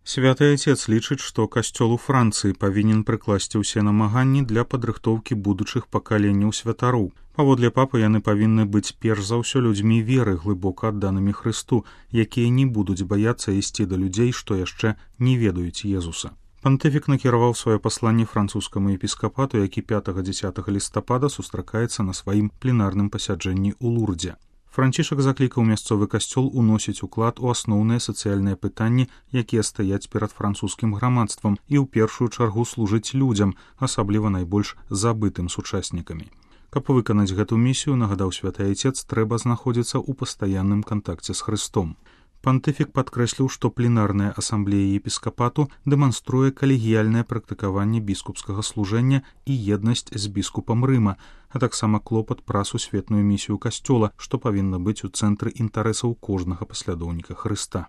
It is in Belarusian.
Святы Айцец лічыць, што касцёл у Францыі павінен прыкласці ўсе намаганні для падрыхтоўкі будучых пакаленняў святароў. Паводле папы яны павінны быць перш за ўсё людзьмі веры, глыбока адданымі Хрысту, якія не будуць баяцца ісці да людзей, што яшчэ не ведаюць Езуса. Пантыфік накіраваў сваё пасланне французскаму епіскапату, які 5-10 лістапада сустракаецца на сваім пленарным пасяджэнні ў Лурдзе. Францішак заклікаў мясцовы касцёл уносіць уклад у асноўныя сацыяльныя пытанні, якія стаяць перад французскім грамадствам, і ў першую чаргу служыць людзям, асабліва найбольш забытым сучаснікамі. Каб выканаць гэту місію, нагадаў святы Айцец, трэба знаходзіцца ў пастаянным кантакце з Хрыстом. Пантыфік падкрэсліў, што пленарная асамблея епіскапату дэманструе калегіяльнае практыкаванне біскупскага служэння і еднасць з біскупам Рыма, а таксама клопат пра сусветную місію касцёла, што павінна быць у цэнтры інтарэсаў кожнага паслядоўніка Хрыста.